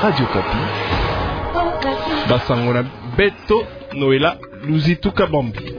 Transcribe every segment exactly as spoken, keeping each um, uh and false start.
Radio Okapi. Basango na beto, Noëlla Luzitu Kabambi.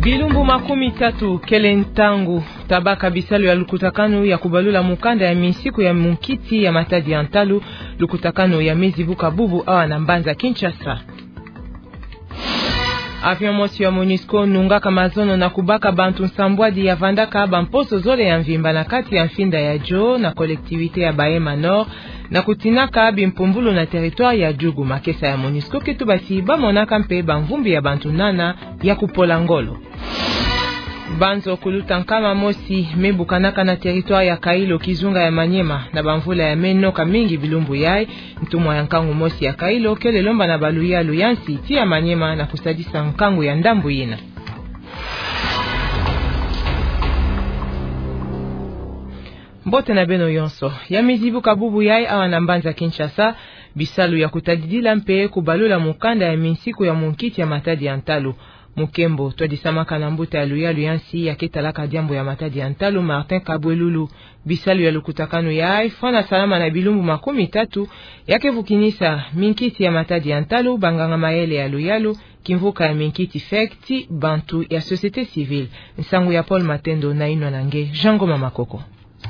Bilumbu makumi tatu kele ntangu tabaka bisalu ya lukutakanu ya kubalula mukanda ya minsiku ya munkiti ya Matadi ya ntalu, lukutakanu ya mezi buka bubu awa na mbanza Kinshasa. Avion mosi ya MONUSCO nungaka mazono na kubaka bantu nsambwadi ya vandaka bamposo zole ya mvimba na kati ya mfinda ya Djo na collectivité ya Bahema Nord, na kutinaka bimpumbulu na territoire ya Djougou. Makesa ya MONUSCO ke tuba ti bamonaka mpe bamvumbi ya bantu nana ya kupola ngolo. Banzo kuluta nkama mosi me bukanaka na territoire ya Kailo, kizunga ya Maniema, na bamvula ya me noka mingi bilumbu yai. Ntumwa ya nkangu mosi ya Kailo kele lomba na baluyalu ya nsi ti ya Maniema na kusadisa nkangu ya ndambu yina. Mbote na beno yonso. Ya mezi buka bubu yai awa na mbanza Kinshasa, bisalu ya kutadidila mpe kubalula mukanda ya minsiku ya munkiti ya Matadi ya ntalu. Mukembo twadisamaka na mbuta ya luyalu ya nsi ya ke talaka diambu ya Matadi ya ntalu, Martin Kabwelulu. Bisalu ya lukutakanu yai fwana salama na bilumbu makumi tatu, ya ke vukinisa minkiti ya Matadi ya ntalu, banganga mayele ya luyalu, kimvuka ya minkiti fek ti bantu ya société civile. Nsangu ya Paul Matendo na inwa na nge Jean Ngoma Makoko.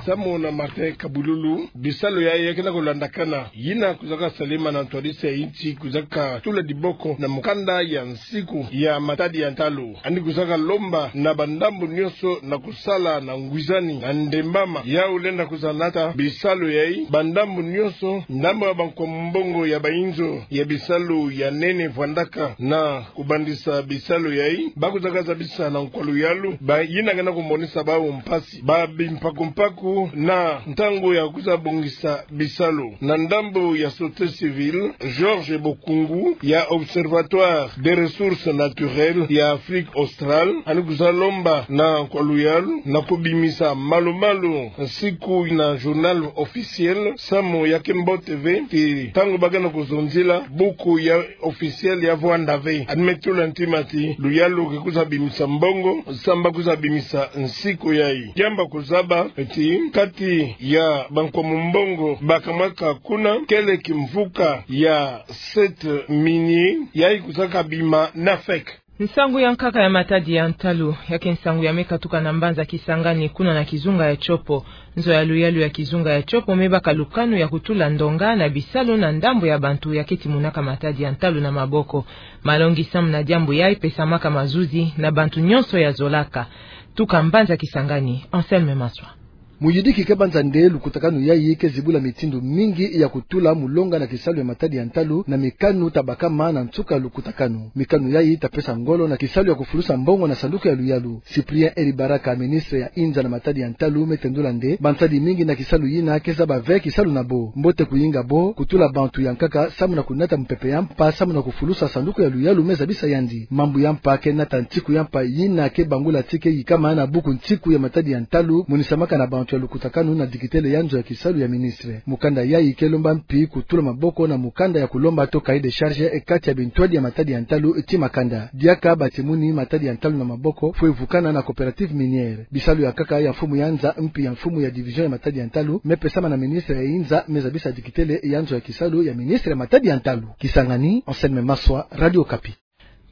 Samu na Martin Kabwelulu, bisalu yai ya ke na kulandakana, yina kuzaka salama na ntwadisi ya insi kuzaka tula diboko na mukanda ya nsiku ya Matadi ya ntalu. Yandi kuzaka lomba na bandambu nionso na kusala na ngwizani na ndembama. Yau lenda kuzanata bisalu yai, bandambu nionso, ndambu ya bankwa mbongo ya bainzo ya bisalu ya nene vwandaka na kubandisa bisalu yai, ba kuzaka zabisa na nkwa luyalu, ba yina ke na kumonisa bau mpasi, ba bimpaku-mpaku na ntangu ya kuza bongisa bisalu. Na ndambu ya société civile, Georges Bokungu ya Observatoire des ressources naturelles ya Afrique australe, yandi kuza lomba na nkwa luyalu na kubimisa malu-malu nsiku na journal officiel, samu ya ke mbote ve ti ntangu ba ke na kuzonzila, buku ya officiel ya vwanda ve. Yandi me tula ntima ti luyalu ke kuza bimisa mbongo samu ba kuza bimisa nsiku yai. Diambu ya kuzaba ti kati ya bankwa mbongo ba kamwaka kuna, kele kimvuka ya site minier yai kuzaka bima na fek. Nsangu ya nkaka ya Matadi ya ntalu, ya ke nsangu ya me katuka na mbanza Kisangani kuna na kizunga ya Tshopo. Nzo ya luyalu ya kizunga ya Tshopo me baka lukanu ya kutula ndonga na bisalu na ndambu ya bantu ya ke timunaka Matadi ya ntalu na maboko. Malongi samu na diambu yai pesamaka mazuzi na bantu nionso ya zolaka. Tuka mbanza Kisangani, Anselme Maswa. Muyidiki ke banza nde lukutakanu yai ke zibula mitindu mingi ya kutula mulonga na kisalu ya Matadi ya ntalu na mikanu ta bakama na nsuka lukutakanu. Mikanu yai ta pesa ngolo na kisalu ya kufulusa mbongo na sanduku ya luyalu. Cyprien Eribaraka, ministre ya inza na Matadi ya ntalu, me tendula nde bansadi mingi na kisalu yina ke zaba ve kisalu na bo. Mbote kuyinga bo kutula bantu ya nkaka samu na kunata mupepe ya mpa samu na kufulusa sanduku ya luyalu, me zabisa yandi. Mambu ya mpa ke nata nsiku ya mpa yina ke bangula ti ke yikama na buku nsiku ya Matadi ya ntalu, monisamaka na bantu ya lukutakanu na dikitele ya nzo ya kisalu ya ministre. Mukanda yai ke lomba mpi kutula maboko na mukanda ya kulomba to cahier de charge e kati ya bintwadi ya Matadi ya ntalu ti makanda. Diaka batimuni Matadi ya ntalu na maboko fwe vukana na coopérative minière. Bisalu ya nkaka, ya mfumu ya nza mpi ya mfumu ya division ya Matadi ya ntalu me pesama na ministre ya inza, me zabisa dikitele ya nzo ya kisalu ya ministre ya Matadi ya ntalu. Kisangani, Anselme Maswa, Radio Okapi.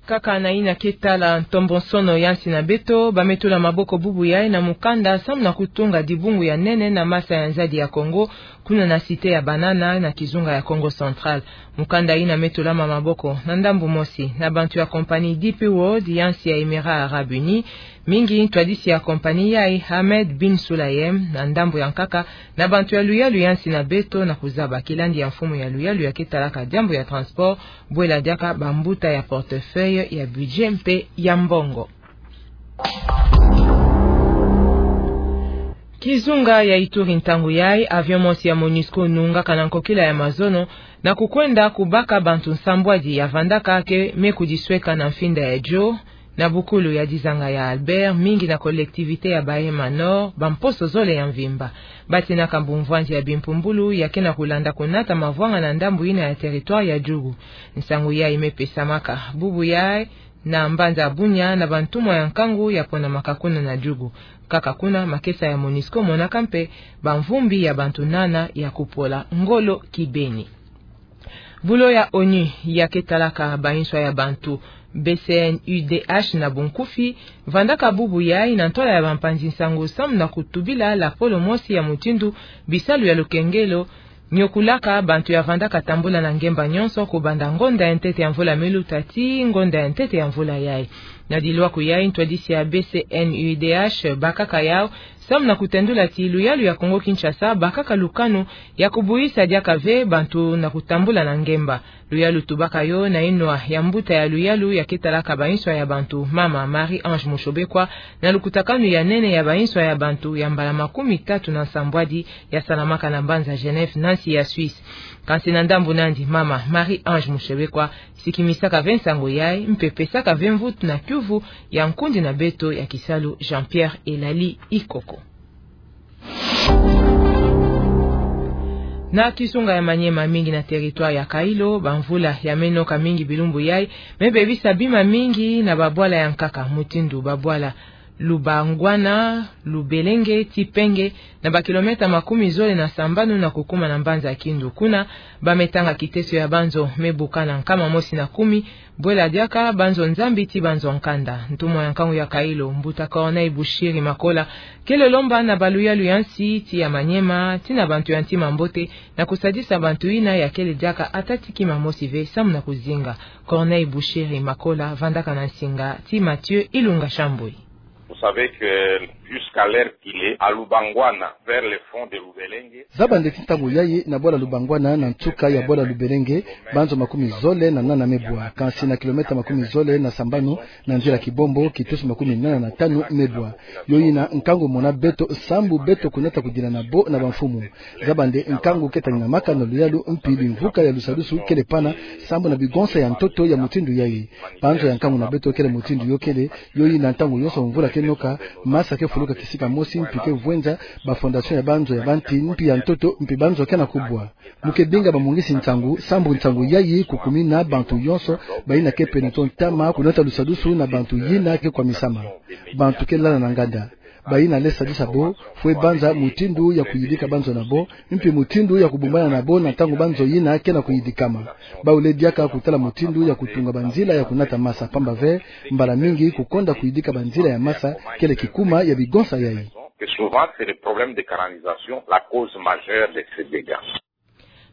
Kaka na yina ke tala ntombonsono ya nsi na beto, ba me tula maboko bubu yai na mukanda samu na kutunga dibungu ya nene na masa ya nzadi ya Kongo, kuna na Cité ya Banana na kizunga ya Kongo Central. Mukanda yina me tulama maboko na ndambu mosi na bantu ya compagnie D P World ya nsi ya Émirats Arabes Unis. Mingi ntwadisi ya compagnie yai, Ahmed bin Sulayem, na ndambu ya nkaka na bantu ya luyalu ya nsi na beto na kuzaba kilandi ya mfumu ya luyalu ya ke talaka diambu ya transport, bwela diaka bambuta ya portefeuille ya budget mpe ya mbongo. Kizunga ya Ituri, ntangu yayi, avion mosi ya MONUSCO nungaka na nkokila ya mazono na kukwenda kubaka bantu nsambwadi ya vandaka ke me kudisweka na mfinda ya Djo, na bukulu ya dizanga ya Albert, mingi na collectivité ya Bahema Nord, bamposo zole ya mvimba. Batinaka mbumvwandi ya bimpumbulu ya ke na kulanda kunata mavwanga na ndambu yina ya territoire ya Djugu. Nsangu yayi me pesamaka bubu yayi na mbanza Bunia na bantumwa ya nkangu ya ponamaka kuna na Djugu. Kaka kuna, makesa ya MONUSCO monaka mpe bamvumbi ya bantu nana ya kupola ngolo kibeni. Bulo ya ONU ya ke talaka banswa ya bantu, B C N U D H na bunkufi, vandaka bubu yayi na ntwala ya bampanzi nsangu samu na kutubila lapolo mosi ya mutindu bisalu ya lukengelo nyokulaka bantu ya vandaka tambula na ngemba nyonso, kubanda ngonda ya ntete ya mvula miluta tii ngonda ya ntete ya mvula yayi. Na dilwaku yayi, ntwadisi ya B C N U D H bakaka yawu samu na kutendula ti luyalu ya Kongo Kinshasa bakaka lukanu ya kubuyisa diaka ve bantu na kutambula na ngemba. Luyalu tubaka yo na inwa ya mbuta ya luyalu ya ke talaka banswa ya bantu, mama Marie-Ange Mushobekwa, na lukutakanu ya nene ya banswa ya bantu ya mbala makumi tatu na nsambwadi ya salamaka na mbanza Genève, na nsi ya Suisse. Kansi na ndambu nandi, mama Marie-Ange Mushobekwa sikimisaka ve nsangu yayi mpe pesaka ve mvutu na kiuvu ya nkundi na beto ya kisalu, Jean-Pierre Elali Ikoko. Na kizunga ya Maniema, mingi na territoire ya Kailo, bamvula ya me noka mingi bilumbu yayi me bebisa bima mingi na babwala ya nkaka, mutindu babwala Lubangwana, Lubelenge, Tipenge, na bakilomètre makumi zole na sambanu na kukuma na mbanza Kindu. Kuna, ba me tanga kiteso ya banzo me buka na nkama mosi na kumi, bwela diaka banzo Nzambi ti banzo nkanda. Ntumwa ya nkangu ya Kailo, mbuta Corneille Bushiri Makola, kele lomba na baluyalu ya nsi ti ya Maniema, ti na bantu ya ntima mbote, na kusadisa bantu yina ya kele diaka ata ti kima mosi ve samu na kuzinga. Corneille Bushiri Makola, vandaka na nsinga ti Mathieu Ilunga Shambwe. Vous savez que jusqu'à l'heure qu'il est, à Lubangwana, vers le fond de Lubelenge. Zaba nde ti ntangu yayi, na bwala Lubangwana, na nsuka ya bwala Lubelenge, banzo makumi zole na nana me bwa. Kansi na kilomètre makumi zole na sambanu, na nzila kibombo, kitusu makumi nana na tanu me bwa. Yo yina nkangu mona beto, sambu beto kunata kudila na bo na bamfumu. Zaba nde nkangu ke taninamaka na luyalu, mpi bimvuka ya lusadusu kele pana, sambu na bigonsa ya ntoto ya mutindu yayi. Banzo ya nkangu na beto kele mutindu yo kele, yo yina ntangu yonso mvula ke noka, masa ke fuluka kisika mosi, mpi ke vwenza, ba fondation ya banzo ya banti, mpi ya ntoto, mpi banzo ke na kubwa. Mu ke binga bamungisi nsangu, sambu nsangu yayi kukumina bantu yonso, bayina ke pene to ntama, kunata lusadusu na bantu yina ke kwamisama. Bantu ke lala na nganda. Bayina lenda sadisa bo, fwe banza mutindu ya kuyidika banzo na bo, mpi mutindu ya kubumbana na bo na ntangu banzo yina ke na kuyidikama. Bawu lenda diaka kutala mutindu ya kutunga banzila ya kunata masa, pamba ve, mbala mingi kukonda kuyidika banzila ya masa kele kikuma ya bigonsa yayi. Et souvent, c'est le problème de canalisation, la cause majeure de ces dégâts.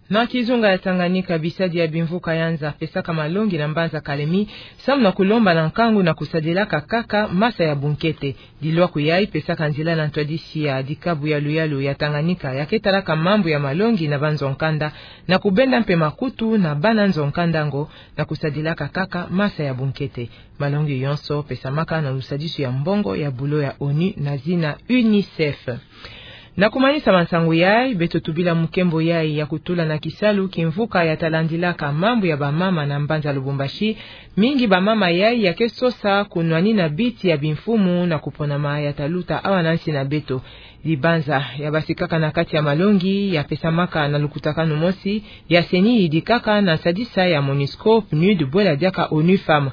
Na kizunga ya Tanganyika, bisadi ya bimvuka ya nza pesaka malongi na mbanza Kalemi, samu na kulomba na nkangu na kusadilaka kaka masa ya bunkete. Dilwaku yayi pesaka nzila na ntwadisi ya dikabu ya luyalu ya Tanganyika ya ke talaka mambu ya malongi na banzo nkanda, na kubenda mpe makutu na bana nzo nkanda ngo, na kusadilaka kaka masa ya bunkete. Malongi yonso pesamaka na lusadisu ya mbongo ya bulo ya ONU na zina UNICEF. Na kumanisa mansangu yayi, beto tubila mukembo yayi ya kutula na kisalu kimvuka ya ta landilaka mambu ya bamama na mbanza Lubumbashi. Mingi bamama yayi ya ke sosa kunwanina biti ya bimfumu na kuponama ya ta luta awa na nsi na beto. Dibanza ya basikaka na kati ya malongi ya pesamaka na lukutakanu mosi ya CENI yidikaka na sadisa ya MONUSCO, PNUD, bwela diaka ONU Femmes.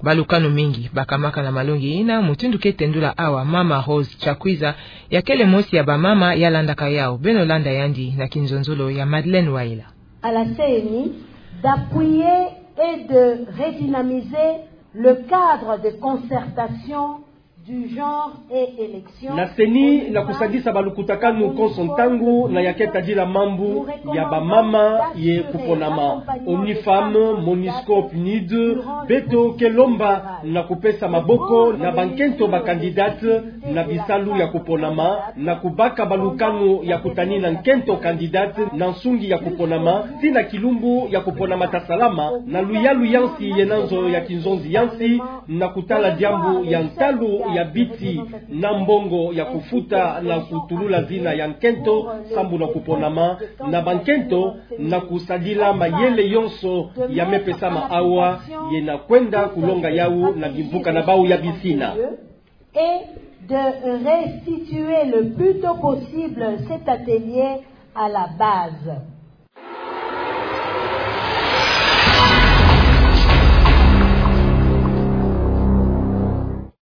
Balukanu mingi bakamaka na malongi yina, mutindu ke tendula awa mama Rose Chakwiza, ya kele mosi ya bamama ya landaka yawu. Beno landa yandi na kinzonzolo ya Madeleine Waila. À la CENI d'appuyer et de redynamiser le cadre de concertation du genre et élection. Na CENI na kusadisa balukutakanu konso ntangu na ya ke tadila mambu ya bamama ye kuponama. ONU Femmes, MONUSCO, PNUD, beto ke lomba na kupesa maboko na bankento ba candidate na bisalu ya kuponama, na kubaka balukanu ya kutanina nkento candidate na nsungi ya kuponama, tii na kilumbu ya kuponama ta salama, na luyalu ya nsi ye na nzo ya kinzonzi ya nsi, na kutala diambu ya ntalu ya Biti na mbongo ya kufuta na kutulula zina ya nkento, sambu na kuponama na bankento, na kusadila mayele yonso ya mepesama awa, ye na kwenda kulonga yau na bimvuka na bau ya bisina. Et de restituer le plus tôt possible cet atelier à la base.